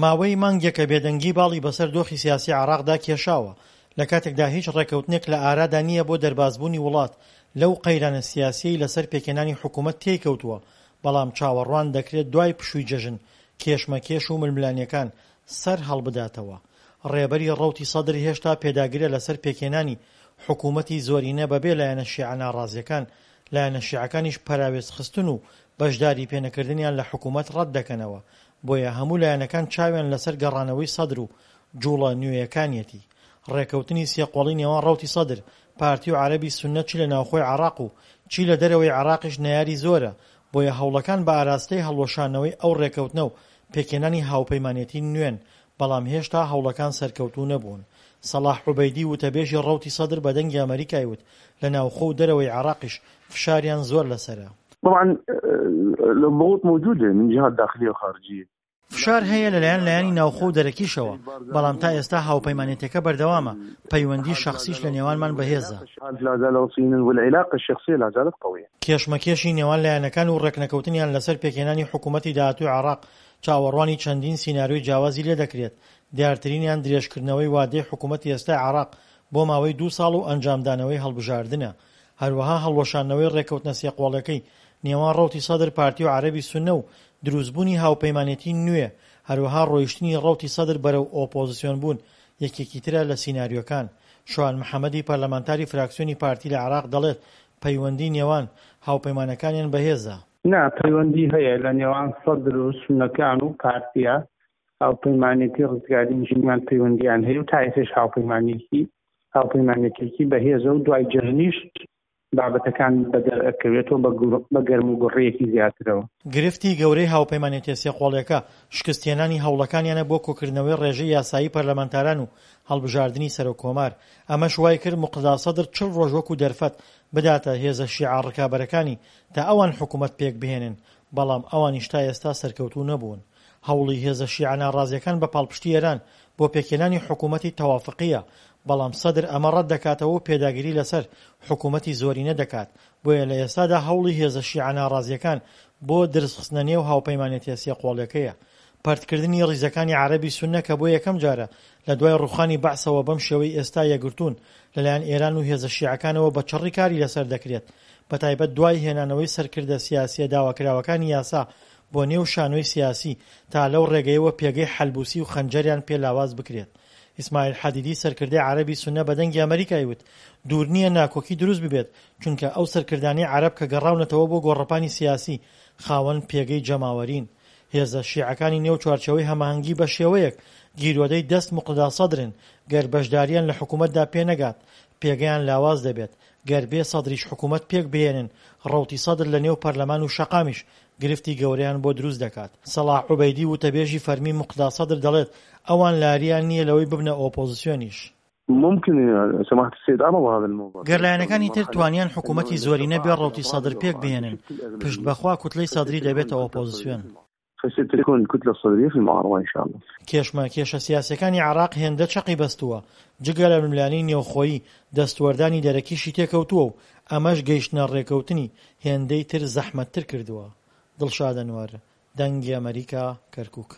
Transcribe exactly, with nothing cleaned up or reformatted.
ماوەی مانگێکە بێدەنگی باڵی بەسەر دۆخی سیاسی عێراقدا کێشاوە، لە کاتێکدا هیچ ڕێککەوتنێک لە ئارادا نییە بۆ دەربازبوونی وڵات لەو قەیرانە سیاسییەی لەسەر پێکهێنانی حکومەت تێیکەوتووە، بەڵام چاوەڕوان دەکرێت دوای پشووی جەژن کێشمەکێش و ململانێکان سەر هەڵبداتەوە. ڕێبەری ڕەوتی سەدر هێشتا پێداگرە لەسەر پێکهێنانی حکومەتی زۆرینە بەبێ لایەنە شیعە ناڕازییەکان، لایەنە شیعەکانیش پەراوێزخستن و بەشداری پێنەکردنیان لە حکومەت ڕەتدەکەنەوە، بۆیە هەموو لایەنەکان چاویان لەسەر گەڕانەوەی سەدر و جوڵە نوێیەکانیەتی. ڕێکەوتنی سێقۆڵی نێوان ڕەوتی سەدر، پارتی و عەرەبی سوننە چ لە ناوخۆی عێراق و چی لە دەرەوەی عێراقیش نەیاری زۆرە، بۆیە هەوڵەکان بە ئاراستەی هەڵوەشانەوەی ئەو ڕێکەوتنە و پێکهێنانی هاوپەیمانێتی نوێن، بەڵام هێشتا هەوڵەکان سەرکەوتوو نەبوون. سەڵاح عوبەیدی وتەبێژی ڕەوتی سەدر بە دەنگی ئەمەریکای وت لە ناوخۆ و دەرەوەی عێراقیش فشاریان زۆر لەسەرە. طبعا الضغوط موجودة من جهات داخلية وخارجية. فشار هەیە لەلایەن لایەنی ناوخۆ و دەرەکیشەوە، بەڵام تا ئێستا هاوپەیمانێتیەکە بەردەوامە، پەیوەندی شەخسیش لە نێوانمان بەهێزە. کێشمەکێشی نێوان لایەنەکان و ڕێکنەکەوتنیان لەسەر پێکهێنانی حکومەتی داهاتووی عێراق چاوەڕوانی چەندین سیناریۆی جیاوازی لێدەکرێت، دیارترینیان درێژکردنەوەی وادەی حکومەتی ئێستای عێراق بۆ ماوەی دوو ساڵ و ئەنجامدانەوەی هەڵبژاردنە، هەروەها هەڵوەشاندنەوەی ڕێککەوتنە سێقۆڵیەکەی نێوان ڕەوتی سەدر پارتی و عەرەبی سوننە و دروستبوونی هاوپەیمانێتی نوێ، هەروەها ڕۆیشتنی ڕەوتی سەدر بەرەو ئۆپۆزسیۆن بوون یەکێکی ترە لە سیناریۆکان. شوان محەمەدی پەرلەمانتاری فراکسیۆنی پارتی لە عێراق دەڵێت پەیوەندی نێوان هاوپەیمانەکانیان بەهێزە. نا، پەیوەندی هەیە لە نێوان سەدر و سوننەکان و پارتیە، هاوپەیمانێتی ڕزگاری نیشتیمان پەیوەندیان هەیە و تا ئێستاش هاوپەیمانێکی هاوپەیمانێتێکی بەهێزە و دوای جەژنیش بابەتەکان بەدەر ئەکەوێتەوە بە گەرم و گوڕیەکی زیاترەوە. گرفتی گەورەی هاوپەیمانێتیە سێقۆڵیەکە شکستهێنانی هەوڵەکانیانە بۆ کۆکردنەوەی ڕێژەی یاسایی پەرلەمانتاران و هەڵبژاردنی سەرۆک کۆمار، ئەمەش وایکرد موقتەدا سەدر چل ڕۆژ وەکو دەرفەت بداتە هێزە شیعە ڕکابەرەکانی تا ئەوان حکومەت پێکبهێنن، بەڵام ئەوانیش تا ئێستا سەرکەوتوو نەبوون. هەوڵی هێزە شیعە ناڕازیەکان بە پاڵپشتی ئێران بۆ پێکهێنانی حکومەتی تەوافقییە، بەڵام سەدر ئەمە ڕەتدەکاتەوە و پێداگری لەسەر حکومەتی زۆرینە دەکات، بۆیە لە ئێستادا هەوڵی هێزە شیعە ناڕازیەکان بۆ درزخستنە نێو هاوپەیمانێتیە سێقۆڵیەکەیە. پەرتکردنی ڕیزەکانی عەرەبی سوننە کە بۆ یەکەم جارە لە دوای ڕوخانی بەعسەوە بەم شێوەی ئێستا یەکگرتوون لەلایەن ئێران و هێزە شیعەکانەوە بە چڕی کاری لەسەر دەکرێت بەتایبەت دوای هێنانەوەی سەرکردە سیاسیە داواکراوەکانی یاسا بۆ نێو شانۆی سیاسی تا لەو ڕێگەیەوە پێگەی حەلبوسی و خەنجەریان پێ لاواز بکرێت. ئیسماعیل حەدیدی سەرکردەی عەرەبی سوننە بە دەنگی ئەمەریکای وت دوور نییە ناکۆکی دروست ببێت چونکە ئەو سەرکردانەی عەرەب کە گەڕاونەتەوە بۆ گۆڕەپانی سیاسی خاوەن پێگەی جەماوەرین. هێزە شیعەکانی نێو چوارچێوەی هەماهەنگی بەشێوەیەک گیرۆدەی دەست موقتەدا سەدرن گەر بەشداریان لە حکومەتدا پێنەگات پێگەیان لاواز دەبێت، گەر بێ سەدریش حکومەت پێکبهێنن ڕەوتی سەدر لە نێو پەرلەمان و شەقامیش گرفتی گەورەیان بۆ دروست دەکات. سەڵاح عوبەیدی وتەبێژی فەرمی موقتەدا سەدر دەڵێت ئەوان لاریان نییە لەوەی ببنە ئۆپۆزسیۆنیش. ممکن سماحة السيد عرض هذا الموضوع. گەر لایەنەکانی تر توانیان حکومەتی زۆرینە بێ ڕەوتی سەدر پێک بهێنن، پشت بەخوا کوتلەی سەدری دەبێتە ئۆپۆزسیۆن. فستكون الكتلة الصدرية في المعارضة إن شاء الله. کێشمەکێشە سیاسیەکانی عێراق هێندە چەقی بەستووە، جگە لە ململانێی نێوخۆیی، دەستوەردانی دەرەکیشی تێکەوتووە و ئەمەش گەیشتنە ڕێکەوتنی هێندەی تر زەحمەتتر کردووە. دڵشاد ئەنوەر، دەنگی ئەمەریکا، کەرکوک.